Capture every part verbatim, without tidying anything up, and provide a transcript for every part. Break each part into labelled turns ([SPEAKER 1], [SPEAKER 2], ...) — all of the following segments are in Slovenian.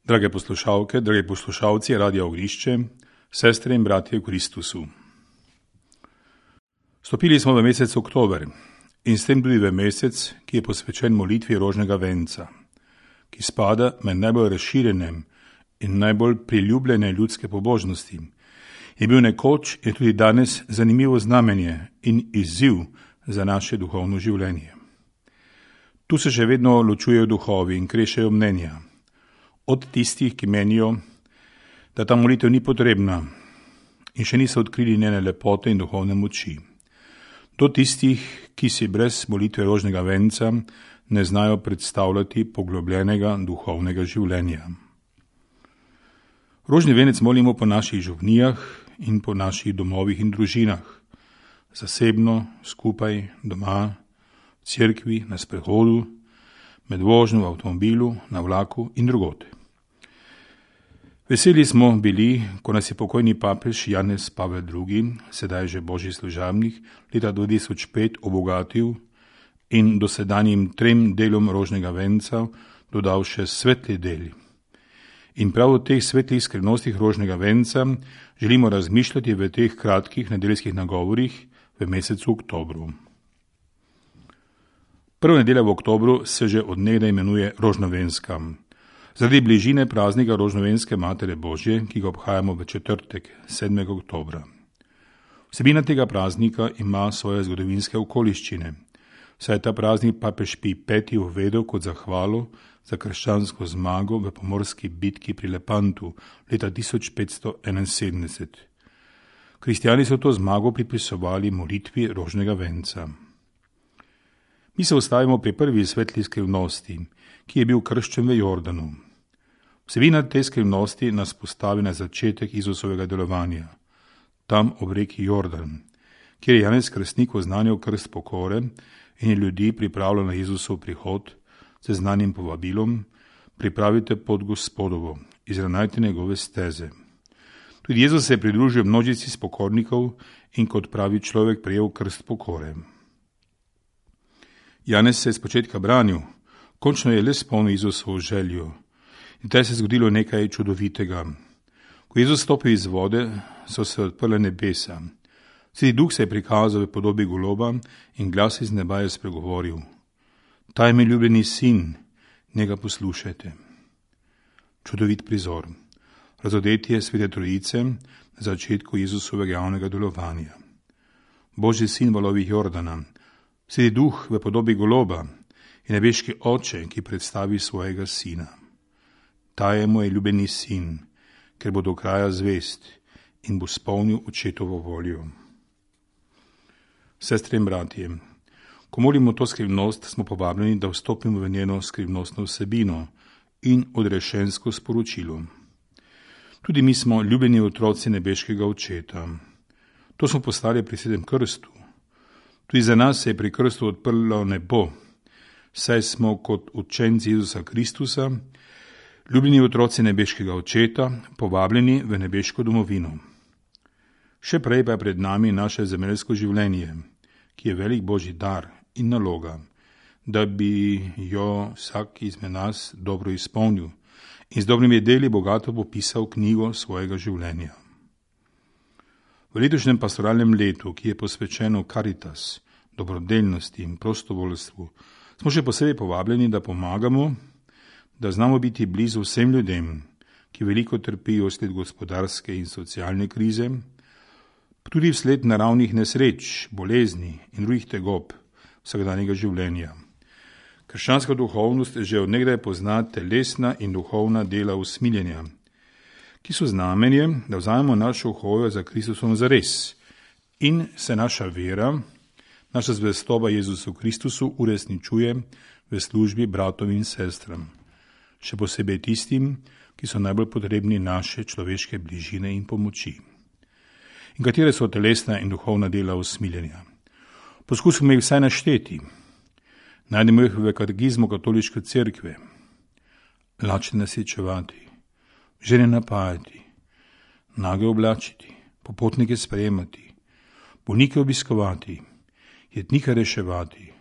[SPEAKER 1] Drage poslušalke, dragi poslušalci Radia Ognišče, sestre in bratje v Kristusu. Stopili smo v mesec oktober in s tem tudi v mesec, ki je posvečen molitvi rožnega venca, ki spada med najbolj razširjene in najbolj priljubljene ljudske pobožnosti. Je bil nekoč in tudi danes zanimivo znamenje in izziv za naše duhovno življenje. Tu se še vedno ločujejo duhovi in krešejo mnenja. Od tistih, ki menijo, da ta molitev ni potrebna in še niso odkrili njene lepote in duhovne moči, do tistih, ki si brez molitve rožnega venca ne znajo predstavljati poglobljenega duhovnega življenja. Rožni venec molimo po naših župnijah in po naših domovih in družinah, zasebno, skupaj, doma, v cerkvi, na sprehodu, med vožnjo v avtomobilu, na vlaku in drugod. Veseli smo bili, ko nas je pokojni papež Janez Pavel drugi, sedaj že božji služabnik, leta dva tisoč pet obogatil in dosedanjim trem delom rožnega venca dodal še svetli del. In prav o teh svetlih skrivnostih rožnega venca želimo razmišljati v teh kratkih nedeljskih nagovorih v mesecu oktobru. Prva nedelja v oktobru se že od nekdaj imenuje rožnovenska. Zaradi bližine praznika rožnovenske Matere Božje, ki ga obhajamo v četrtek, sedmega oktobra. Vsebina tega praznika ima svoje zgodovinske okoliščine, saj je ta praznik papež Pij peti uvedel kot zahvalo za krščansko zmago v pomorski bitki pri Lepantu leta tisoč petsto enainsedemdeset. Kristjani so to zmago pripisovali molitvi rožnega venca. Mi se ustavimo pri prvi svetli skrivnosti, ki je bil krščen v Jordanu. Vsebina te skrivnosti nas postavi na začetek Jezusovega delovanja, tam ob reki Jordan, kjer je Janez Krstnik oznanjal krst pokore in je ljudi pripravljal na Jezusov prihod z znanim povabilom: pripravite pot Gospodovo, izravnajte njegove steze. Tudi Jezus se je pridružil množici spokornikov in kot pravi človek prejel krst pokore. Janez se je z početka branil, končno je le spolnil Jezusovo željo. In taj se je zgodilo nekaj čudovitega. Ko Jezus stopil iz vode, so se odprla nebesa. Sveti Duh se je prikazal v podobi goloba in glas iz neba je spregovoril: Ta je mi ljubljeni sin, njega poslušajte. Čudovit prizor. Razodetje Svete Trojice na začetku Jezusovega javnega delovanja. Božji sin valovih Jordana, Sveti Duh v podobi goloba in nebeški oče, ki predstavi svojega sina. Ta je moj ljubljeni sin, ker bo do kraja zvest in bo spolnil očetovo voljo. Sestre in bratje, ko molimo to skrivnost, smo povabljeni, da vstopimo v njeno skrivnostno vsebino in odrešensko sporočilo. Tudi mi smo ljubljeni otroci nebeškega očeta. To smo postali pri svetem krstu. Tudi za nas se je pri krstu odprlo nebo, saj smo kot učenci Jezusa Kristusa, ljubljeni otroci nebeškega očeta, povabljeni v nebeško domovino. Še prej pa je pred nami naše zemeljsko življenje, ki je velik božji dar in naloga, da bi jo vsak izmed nas dobro izpolnil in z dobrimi deli bogato popisal knjigo svojega življenja. V letošnjem pastoralnem letu, ki je posvečeno Caritas, dobrodelnosti in prostovoljstvu, smo še posebej povabljeni, da pomagamo, da znamo biti blizu vsem ljudem, ki veliko trpijo sled gospodarske in socialne krize, tudi vsled naravnih nesreč, bolezni in drugih tegob vsakdanjega življenja. Krščanska duhovnost že od nekdaj pozna telesna in duhovna dela usmiljenja, ki so znamenje, da vzamemo našo hojo za Kristusom zares in se naša vera, naša zvestoba Jezusu Kristusu uresničuje v službi bratom in sestram, še posebej tistim, ki so najbolj potrebni naše človeške bližine in pomoči. In katere so telesna in duhovna dela usmiljenja? Poskusimo jih vsaj našteti. Najdemo jih v katekizmu katoliške cerkve. Lačne nasečevati, žene napajati, nage oblačiti, popotnike sprejemati, bolnike obiskovati, jetnike reševati,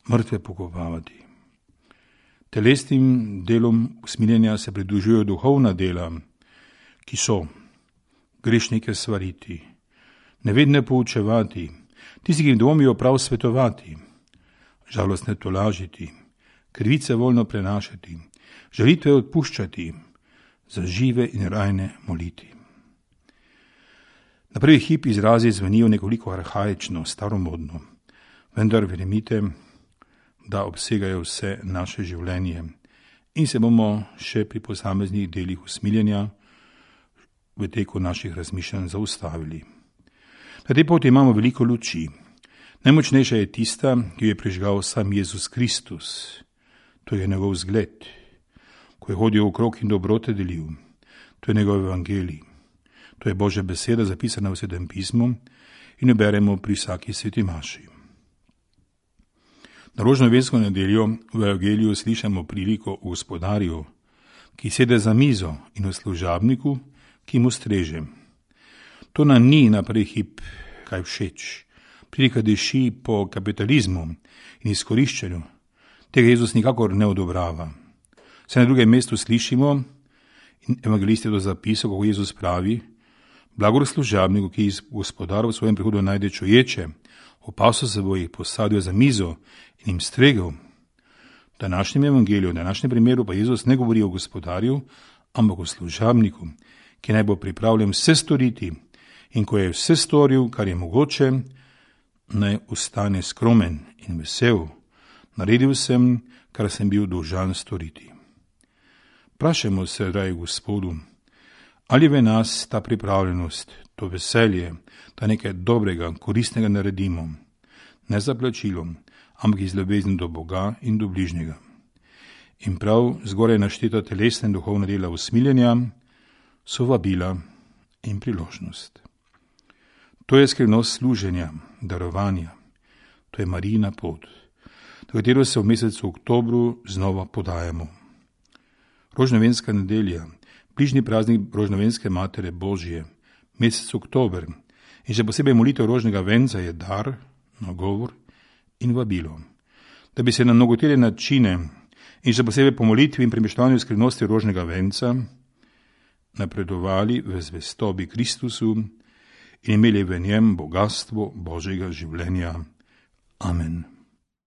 [SPEAKER 1] mrtve pokopavati. Telesnim delom usmiljenja se pridružujejo duhovna dela, ki so grešnike svariti, nevedne poučevati, tisti, ki dvomijo prav svetovati, žalostne tolažiti, krivice voljno prenašati, žalitve odpuščati, za žive in rajne moliti. Na prvi hip izrazi zvenijo nekoliko arhaično, staromodno, vendar verjemite, da obsegajo vse naše življenje in se bomo še pri posameznih delih usmiljenja v teku naših razmišljanj zaustavili. Na tej poti imamo veliko luči. Najmočnejša je tista, ki jo je prižgal sam Jezus Kristus. To je njegov zgled, ko je hodil okrog in dobrote delil. To je njegov evangelij. To je Božja beseda, zapisana v Svetem pismu in jo beremo pri vsaki sveti maši. Na rožnovensko nedeljo v evangeliju slišamo priliko o gospodarju, ki sede za mizo, in o služabniku, ki mu streže. To nam ni na prvi hip kaj všeč. Prilika diši po kapitalizmu in izkoriščanju. Tega Jezus nikakor ne odobrava. Se na drugem mestu slišimo in evangelist je to zapisal, kako Jezus pravi: blagor služabniku, ki gospodar v svojem prihodu najde čuječe, opasel se bo jih, posadil za mizo in jim stregel. V današnjem evangeliju, v današnjem primeru pa Jezus ne govori o gospodarju, ampak o služabniku, ki naj bo pripravljen vse storiti, in ko je vse storil, kar je mogoče, naj ostane skromen in vesel. Naredil sem, kar sem bil dolžan storiti. Vprašajmo se, dragi Gospodu, ali v nas ta pripravljenost, to veselje, da nekaj dobrega, koristnega naredimo, ne za plačilo, ampak iz ljubezni do Boga in do bližnjega. In prav zgoraj našteta telesna in duhovna dela usmiljenja so vabila in priložnost. To je skrivnost služenja, darovanja. To je Marijina pot, do katero se v mesecu oktobru znova podajamo. Rožnovenska nedelja, bližnji praznik rožnovenske Matere Božje, mesec oktober in še posebej molitev rožnega venca je dar, nagovor in vabilo, da bi se na mnogotere načine in še posebej po molitvi in premeščanju skrivnosti rožnega venca napredovali v zvestobi Kristusu in imeli v njem bogatstvo Božjega življenja. Amen.